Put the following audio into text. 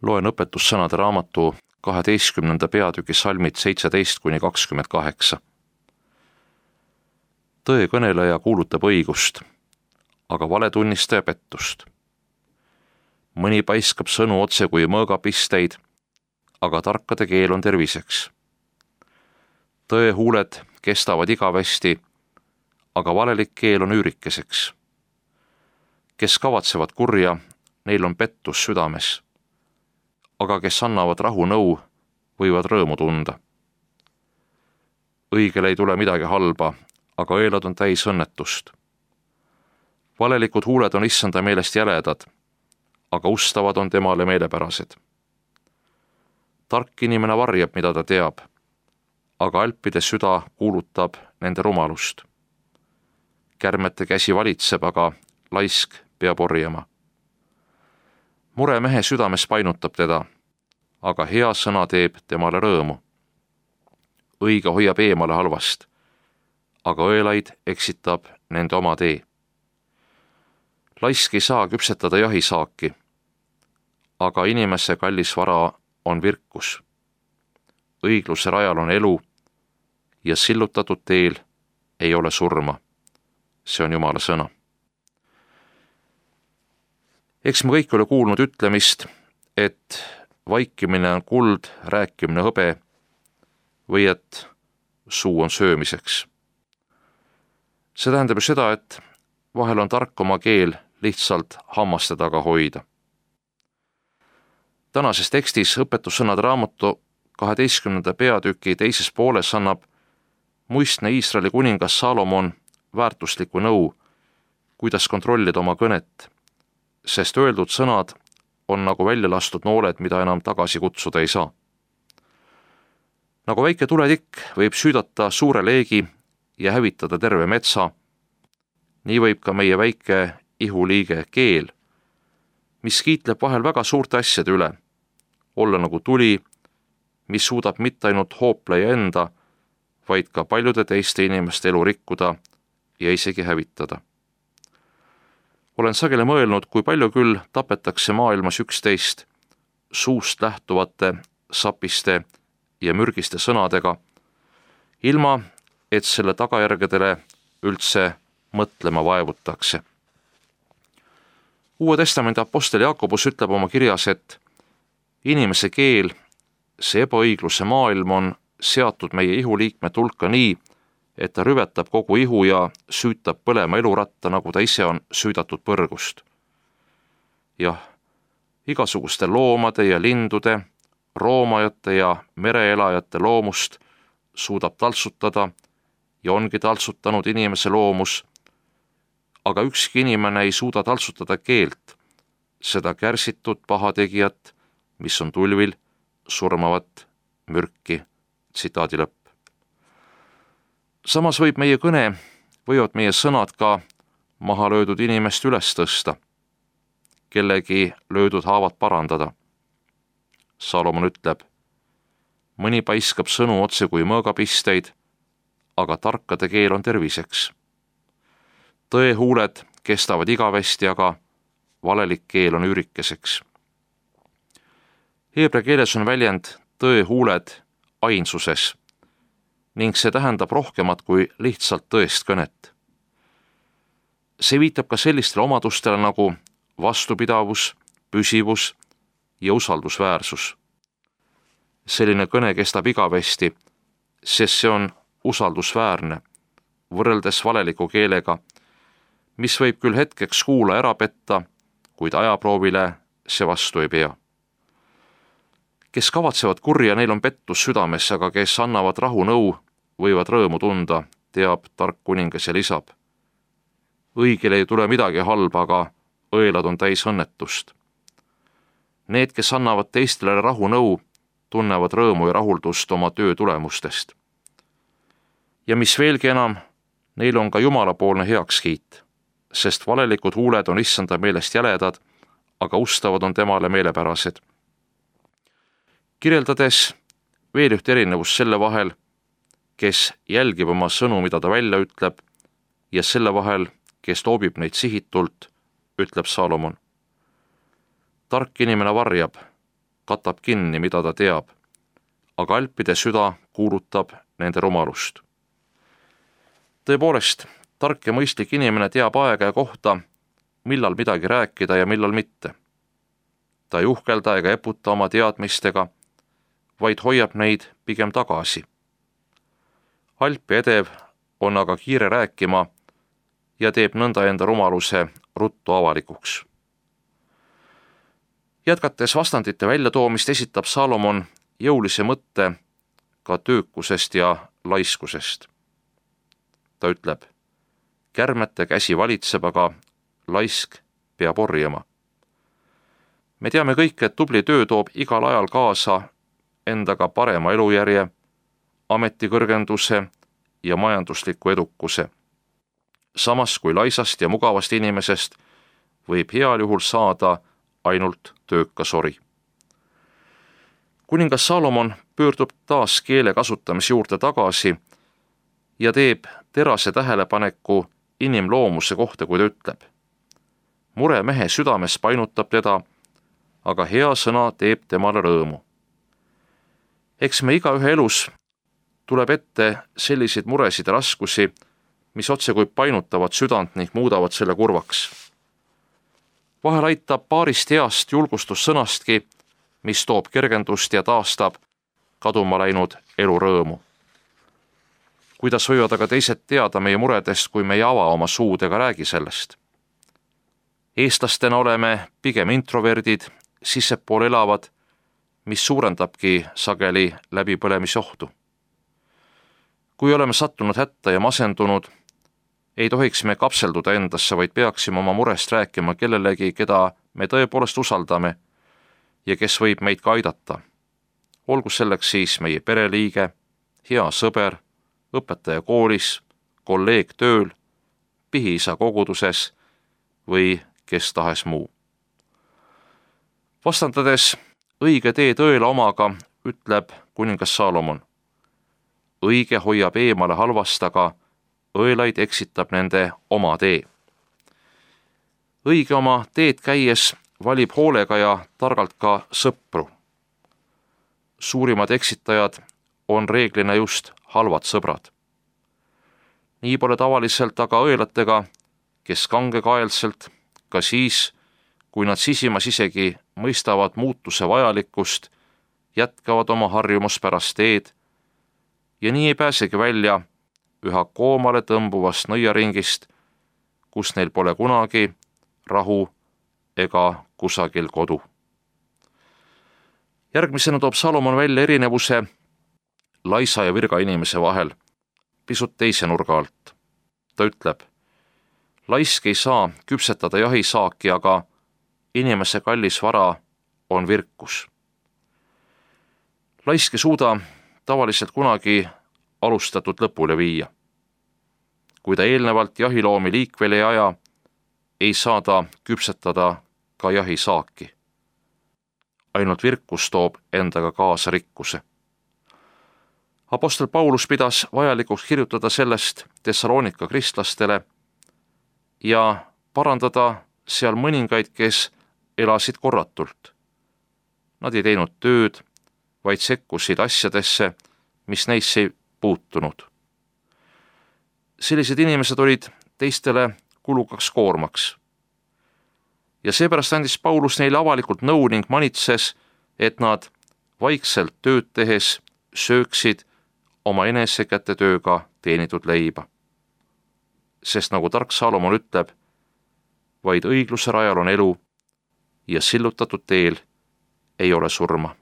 Loen õpetussõnade raamatu 12. peatüki salmid 17–28. Tõe kõneleja kuulutab õigust, aga valetunnistaja pettust. Mõni paiskab sõnu otse kui mõõgapisteid, aga tarkade keel on terviseks. Tõe huuled kestavad igavesti, aga valelik keel on üürikeseks. Kes kavatsevad kurja, neil on pettus südames, aga kes annavad rahunõu, võivad rõõmu tunda. Õigele ei tule midagi halba, aga õelad on täis õnnetust. Valelikud huuled on issanda meelest jäledad, aga ustavad on temale meelepärased. Tark inimene varjab, mida ta teab, aga alpide süda kuulutab nende rumalust. Kärmete käsi valitseb, aga laisk peab orjama. Mure mehe südames painutab teda, aga hea sõna teeb temale rõõmu. Õige hoiab eemale halvast, aga õelaid eksitab nende oma tee. Laisk ei saa küpsetada jahisaaki, aga inimese kallis vara on virkus. Õigluse rajal on elu ja sillutatud teel ei ole surma. See on Jumala sõna. Eks me kõik ole kuulnud ütlemist, et vaikimine on kuld, rääkimine hõbe või et suu on söömiseks. See tähendab ju seda, et vahel on tark oma keel lihtsalt hammaste taga hoida. Tänases tekstis õpetussõnade raamatu 12. peatüki teises pooles annab muistne Iisraeli kuningas Salomon väärtuslikku nõu, kuidas kontrollida oma kõnet, sest öeldud sõnad on nagu välja lastud nooled, mida enam tagasi kutsuda ei saa. Nagu väike tuletikk võib süüdata suure leegi ja hävitada terve metsa, nii võib ka meie väike ihuliige keel, mis kiitleb vahel väga suurte asjade üle, olla nagu tuli, mis suudab mitte ainult hoopleja enda, vaid ka paljude teiste inimeste elu rikkuda ja isegi hävitada. Olen sageli mõelnud, kui palju küll tapetakse maailmas üksteist suust lähtuvate, sapiste ja mürgiste sõnadega, ilma et selle tagajärgedele üldse mõtlema vaevutakse. Uue Testamendi apostel Jaakobus ütleb oma kirjas, et inimese keel, see ebaõigluse maailm on seatud meie ihuliikmete hulka nii, et ta rüvetab kogu ihu ja süütab põlema eluratta, nagu ta ise on süüdatud põrgust. Jah, igasuguste loomade ja lindude, roomajate ja mereelajate loomust suudab taltsutada ja ongi taltsutanud inimese loomus, aga ükski inimene ei suuda taltsutada keelt, seda kärsitud pahategijat, mis on tulvil surmavat mürki. Tsitaadi lõpp. Samas võivad meie sõnad ka maha löödud inimest üles tõsta, kellegi löödud haavad parandada. Salomon ütleb, mõni paiskab sõnu otse kui mõõgapisteid, aga tarkade keel on terviseks. Tõe huuled kestavad igavesti, aga valelik keel on üürikeseks. Heebrea keeles on väljend tõe huuled ainsuses ning see tähendab rohkemat kui lihtsalt tõest kõnet. See viitab ka sellistele omadustele nagu vastupidavus, püsivus ja usaldusväärsus. Selline kõne kestab igavesti, sest see on usaldusväärne, võrreldes valeliku keelega, mis võib küll hetkeks kuula ära petta, kuid ajaproovile see vastu ei pea. Kes kavatsevad kurja, neil on pettus südames, aga kes annavad rahunõu, võivad rõõmu tunda, teab tark kuningas ja lisab. Õigele ei tule midagi halba, aga õelad on täis õnnetust. Need, kes annavad teistele rahunõu, tunnevad rõõmu ja rahuldust oma töö tulemustest. Ja mis veelgi enam, neil on ka jumalapoolne heakskiit, sest valelikud huuled on issanda meelest jäledad, aga ustavad on temale meelepärased. Kirjeldades veel üht erinevust selle vahel, kes jälgib oma sõnu, mida ta välja ütleb, ja selle vahel, kes loobib neid sihitult, ütleb Salomon. Tark inimene varjab, katab kinni, mida ta teab, aga alpide süda kuulutab nende rumalust. Tõepoolest, tark ja mõistlik inimene teab aega ja kohta, millal midagi rääkida ja millal mitte. Ta ei uhkelda ega eputa oma teadmistega, vaid hoiab neid pigem tagasi. Alp ja edev on aga kiire rääkima ja teeb nõnda enda rumaluse ruttu avalikuks. Jätkates vastandite väljatoomist esitab Salomon jõulise mõtte ka töökusest ja laiskusest. Ta ütleb, kärmete käsi valitseb, aga laisk peab orjama. Me teame kõik, et tubli töö toob igal ajal kaasa endaga parema elujärje, ametikõrgenduse ja majandusliku edukuse. Samas kui laisast ja mugavast inimesest võib heal juhul saada ainult töökas ori. Kuningas Salomon pöördub taas keele kasutamise juurde tagasi ja teeb terase tähelepaneku inimloomuse kohta, kui ta ütleb. Mure mehe südames painutab teda, aga hea sõna teeb temale rõõmu. Eks me igaühe elus tuleb ette selliseid muresid ja raskusi, mis otse kui painutavad südant ning muudavad selle kurvaks. Vahel aitab paarist heast julgustussõnastki, mis toob kergendust ja taastab kaduma läinud elu rõõmu. Kuidas võivad aga teised teada meie muredest, kui me ei ava oma suud ega räägi sellest? Eestlastena oleme pigem introverdid, sissepool elavad, mis suurendabki sageli läbipõlemisohtu. Kui oleme sattunud hätta ja masendunud, ei tohiks me kapselduda endasse, vaid peaksime oma murest rääkima kellelegi, keda me tõepoolest usaldame ja kes võib meid ka aidata. Olgu selleks siis meie pereliige, hea sõber, õpetaja koolis, kolleeg tööl, pihiisa koguduses või kes tahes muu. Vastandades õige tee tõele omaga, ütleb kuningas Salomon. Õige hoiab eemale halvast, aga õelaid eksitab nende oma tee. Õige oma teed käies valib hoolega ja targalt ka sõpru. Suurimad eksitajad on reeglina just halvad sõbrad. Nii pole tavaliselt aga õelatega, kes kangekaelselt, ka siis, kui nad sisimas isegi mõistavad muutuse vajalikkust, jätkavad oma harjumuspärast teed ja nii ei pääsegi välja üha koomale tõmbuvast nõiaringist, kus neil pole kunagi rahu ega kusagil kodu. Järgmisena toob Salomon välja erinevuse laisa ja virga inimese vahel pisut teise nurga alt. Ta ütleb, laisk ei saa küpsetada jahisaaki, aga inimese kallis vara on virkus. Laisk ei suuda tavaliselt kunagi alustatud lõpule viia. Kui ta eelnevalt jahiloomi liikvele ei aja, ei saa ta küpsetada ka jahisaaki. Ainult virkus toob endaga kaasa rikkuse. Apostel Paulus pidas vajalikuks kirjutada sellest Thessalonika kristlastele ja parandada seal mõningaid, kes elasid korratult. Nad ei teinud tööd, vaid sekkusid asjadesse, mis neisse ei puutunud. Sellised inimesed olid teistele kulukaks koormaks. Ja seepärast andis Paulus neile avalikult nõu ning manitses, et nad vaikselt tööd tehes sööksid oma enesekäte tööga teenitud leiba. Sest nagu tark Salomon ütleb, vaid õigluse rajal on elu ja sillutatud teel ei ole surma.